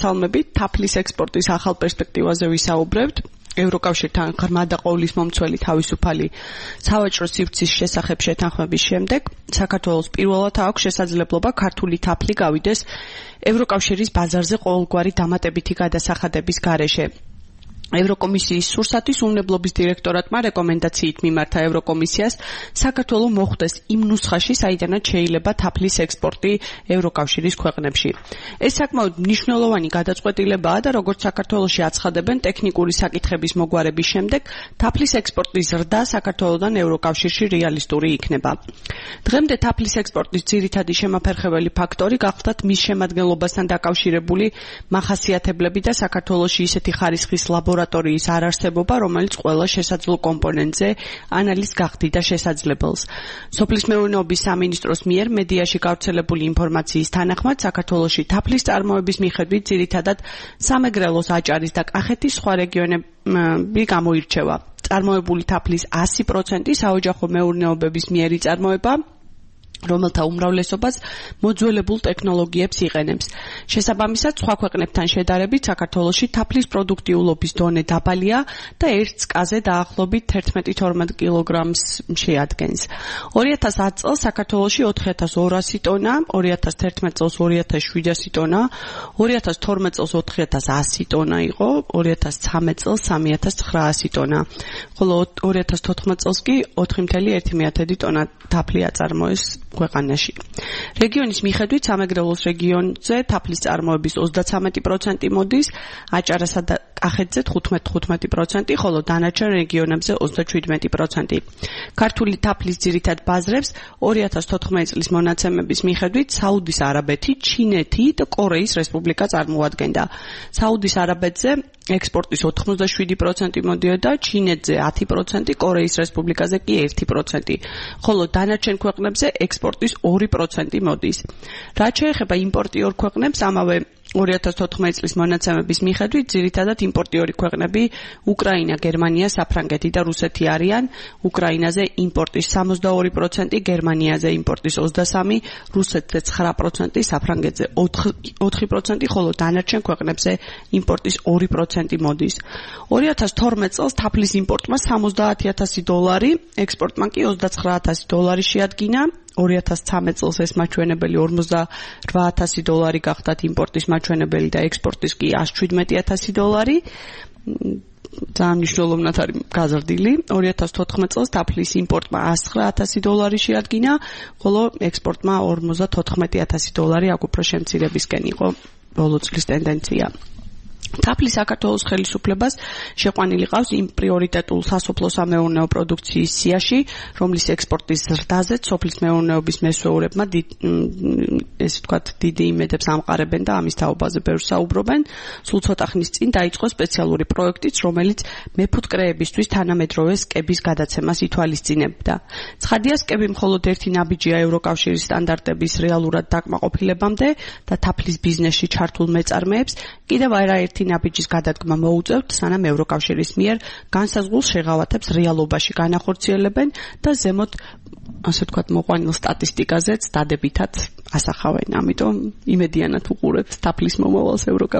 მოგესალმებით, თაფლის ექსპორტის ახალ პერსპექტივაზე ვისაუბრებთ. ევროკავშირთან ღრმა და ყოვლის მომცველი თავისუფალი სავაჭრო სივრცის შესახებ შეთანხმების შემდეგ საქართველოს პირველად აქვს შესაძლებლობა ქართული თაფლი გავიდეს ევროკავშირის ბაზარზე ყოველგვარი დამატებითი გადასახადების გარეშე. ევროკომისიის სურსათის უმნებლობის დირექტორატმა რეკომენდაციით მიმართა ევროკომისიას საქართველო მოხვდეს იმ ნუსხაში, საიდანაც შეიძლება თაფლის ექსპორტი ევროკავშირის ქვეყნებში. ეს საკმაოდ მნიშვნელოვანი გადაწყვეტილებაა და როგორც საქართველოში აცხადებენ ტექნიკური საკითხების მოგვარების შემდეგ, თაფლის ექსპორტის ზრდა საქართველოდან ევროკავშირში რეალისტური იქნება. დღემდე თაფლის ექსპორტის ძირითადი შემაფერხებელი ფაქტორი გახლდათ მის შემადგენლობასთან დაკავშირებული მახასიათებლები და საქართველოში ისეთი ხარისხის ლაბორატორიის არარსებობა, რომელიც ყველა შესაძლო კომპონენტზე ანალიზს გახდიდა შესაძლებელს. სოფლის მეურნეობის სამინისტროს მიერ მედიაში გავრცელებული ინფორმაციის თანახმად, საქართველოში თაფლის წარმოების მიხედვით ძირითადად სამეგრელოს, აჭარის და კახეთის სხვა რეგიონები გამოირჩევა. წარმოებული თაფლის 100% საოჯახო მეურნეობების მიერ იწარმოება, რომელთა უმრავლესობას მოძველებულ ტექნოლოგიებს იყენებს. შესაბამისად, სხვა ქვეყნებთან შედარებით საქართველოში თაფლის პროდუქტიულობის დონე დაბალია და ერთ წკაზე დაახლოებით 11-12 კილოგრამს შეადგენს. 2010 წელს საქართველოში 4200 ტონა, 2011 წელს 2700 ტონა, 2012 წელს 4100 ტონა იყო, 2013 წელს 3900 ტონა, ხოლო 2014 წელს კი 4,1 ტონა თაფლი აწარმოეს ქვეყანაში. რეგიონის მიხედვით სამეგრელოს რეგიონზე თაფლის წარმოების 33% მოდის, აჭარასა და კახეთზე 15%, ხოლო დანარჩენ რეგიონებზე 37%. ქართული თაფლის ძირითად ბაზრებს 2014 წლის მონაცემების მიხედვით საუდის არაბეთი, ჩინეთი და კორეის რესპუბლიკა წარმოადგენდა. საუდის არაბეთზე ექსპორტის 87% მოდიოდა, ჩინეთზე 10%, კორეის რესპუბლიკაზე კი 1%, ხოლო დანარჩენ ქვეყნებზე ექსპორტის 2% მოდის. რაც შეეხება იმპორტიორ ქვეყნებს, ამავე 2014 წლის მონაცემების მიხედვით ძირითადად იმპორტიორი ქვეყნები უკრაინა, გერმანია, საფრანგეთი და რუსეთი არიან. უკრაინაზე იმპორტის 62%, გერმანიაზე იმპორტის 23%, რუსეთზე 9%, საფრანგეთზე 4%, ხოლო დანარჩენ ქვეყნებზე იმპორტის 2% მოდის. 2012 წელს თაფლის იმპორტმა $70000, ექსპორტმა კი $29000 შეადგინა. 2013 წელს ეს მაჩვენებელი $48000 გახდათ იმპორტის მაჩვენებელი და ექსპორტის კი $117000. ძალიან მნიშვნელოვნად არის გაზრდილი. 2014 წელს თაფლის იმპორტმა $109000 შეადგინა, ხოლო ექსპორტმა $54000 აქ უფრო შემცირებისკენ იყო ბოლო წლის ტენდენცია. თაფლი საქართველოს ხელისუფლებას შეყვანილი ყავს იმ პრიორიტეტულ სასოფლო-სამეურნეო პროდუქციის სიაში, რომლის ექსპორტის ზრდაზეც სოფლის მეურნეობის მესვეურებმა ესე ვთქვათ დიდი იმედებს ამყარებენ და ამის თაობაზე ბევრს საუბრობენ. სულ ცოტა ხნის წინ დაიწყო სპეციალური პროექტიც, რომელიც მეფუტკრეებისთვის თანამედროვე სკების გადაცემას ითვალისწინებდა. ცხადია, სკები მხოლოდ ერთი ნაბიჯია ევროკავშირის სტანდარტების რეალურად დაკმაყოფილებამდე და თაფლის ბიზნესში ჩართულ მეწარმეებს კიდევ არაერთი ნაბიჯის გადადგმა მოუწევთ, სანამ ევროკავშირის მიერ განსაზღვრულ შეღავათებს რეალობაში განახორციელებენ და ზემოთ, ასე ვთქვათ, მოყვანილ სტატისტიკაზეც დადებითად ასახავენ. ამიტომ იმედიანად უყურებთ თაფლის მომავალს ევროკავშირში.